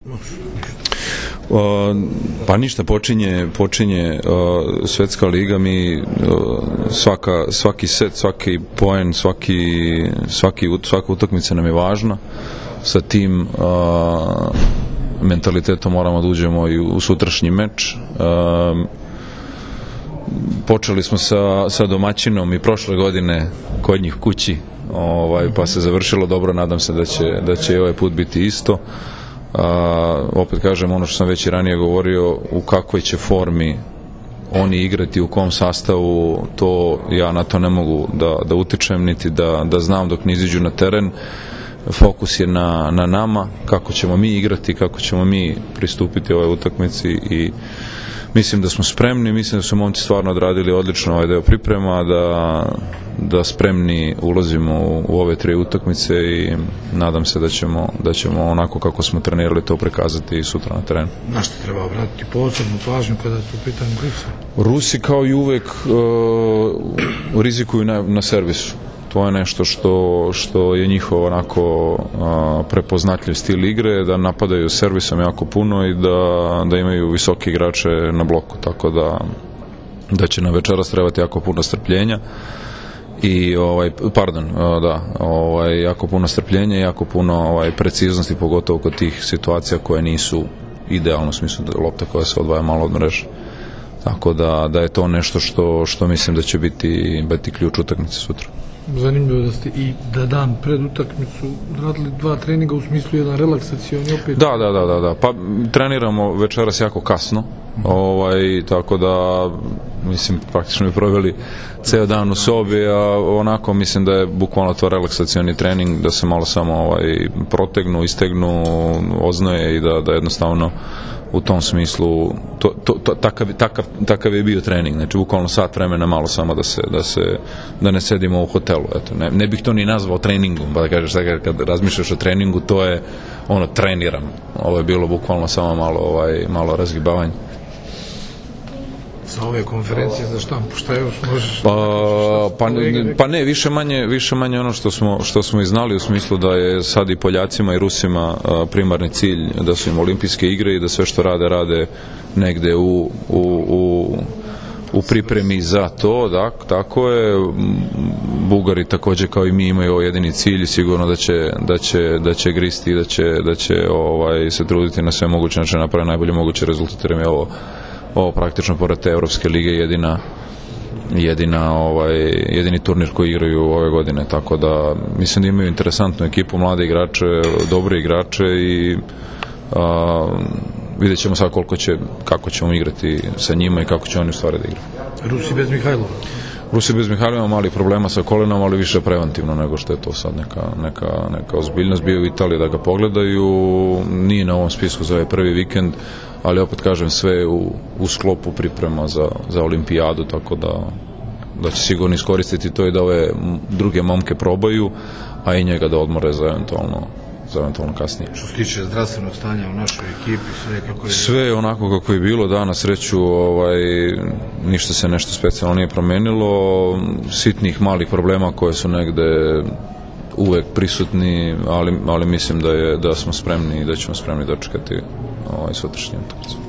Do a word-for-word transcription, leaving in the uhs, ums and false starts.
Uh, pa ništa, počinje, počinje uh, svetska liga, mi uh, svaka, svaki set, svaki poen, svaki, svaki, svaka utakmica nam je važna. Sa tim uh, mentalitetom moramo da uđemo i u sutrašnji meč. Uh, počeli smo sa, sa domaćinom i prošle godine kod njih kući, ovaj, pa se završilo dobro, nadam se da će, da će i ovaj put biti isto. Uh, opet kažem, ono što sam već i ranije govorio, u kakvoj će formi oni igrati, u kom sastavu, to ja na to ne mogu da, da utičem, niti da, da znam dok ne iziđu na teren. Fokus je na, na nama, kako ćemo mi igrati, kako ćemo mi pristupiti ovoj utakmici i mislim da smo spremni, mislim da su momci stvarno odradili odlično ovaj deo priprema, da, da spremni ulazimo u, u ove tri utakmice i nadam se da ćemo, da ćemo onako kako smo trenirali to prikazati i sutra na terenu. Na što treba obratiti posebnu pažnju kada su u pitanju Rusi? Rusi kao i uvek uh, rizikuju na, na servisu. To je nešto što, što je njihov onako a, prepoznatljiv stil igre, da napadaju servisom jako puno i da, da imaju visoki igrače na bloku, tako da, da će nam večeras trebati jako puno strpljenja i ovaj, pardon, da, ovaj, jako puno strpljenja i jako puno ovaj, preciznosti, pogotovo kod tih situacija koje nisu idealno, u smislu da lopta koja se odvaja malo od mreže. Tako da, da je to nešto što, što mislim da će biti, biti ključ utakmice sutra. Zanimljivo da ste i da dan pred utakmicu radili dva treninga, u smislu jedan relaksacioni opet. Da, da, da, da, da. Pa treniramo večeras jako kasno, ovaj, tako da mislim praktično bi proveli ceo dan u sobi, a onako mislim da je bukvalno to relaksacioni trening, da se malo samo ovaj, protegnu, istegnu, oznoje i da, da jednostavno u tom smislu to, to, to, takav, takav, takav je bio trening, znači bukvalno sat vremena malo samo da se, da se da ne sedimo u hotelu, eto, ne, ne bih to ni nazvao treningom, pa da kažeš da kad razmišljaš o treningu, to je ono, treniram, ovo je bilo bukvalno samo malo, ovaj, malo razgibavanje. Za ove konferencije za štampu, šta još možeš? Pa, pa, pa ne, više manje, više manje ono što smo, što smo i znali, u smislu da je sad i Poljacima i Rusima primarni cilj da su im olimpijske igre i da sve što rade, rade negde u, u, u, u pripremi za to, da, tako je. Bugari takođe kao i mi imaju ovo jedini cilj i sigurno da će, da će, da će gristi i da će, da će ovaj, se truditi na sve moguće načine napraviti najbolje moguće rezultate, jer je ovo ovo praktično pored te Evropske lige jedina jedina ovaj jedini turnir koji igraju ove godine, tako da mislim da imaju interesantnu ekipu, mlade igrače, dobre igrače i a, vidjet ćemo sad koliko će, kako ćemo igrati sa njima i kako će oni u stvari da igraju. Rusi bez Mihajlova? Rusi bez Mihajlova, mali problema sa kolenom, ali više preventivno nego što je to sad neka, neka, neka ozbiljnost. Bio u Italiji da ga pogledaju, nije na ovom spisku za ovaj prvi vikend, ali opet kažem, sve u, u sklopu priprema za, za olimpijadu, tako da, da će sigurno iskoristiti to i da ove druge momke probaju, a i njega da odmore za eventualno, za eventualno kasnije. Što se tiče zdravstvenog stanja u našoj ekipi, sve kako je... Sve onako kako je bilo, da, na sreću ovaj, ništa se nešto specijalno nije promenilo, sitnih malih problema koje su negde uvek prisutni, ali, ali mislim da, je, da smo spremni i da ćemo spremni dočekati ovaj sutrašnji utakmicu.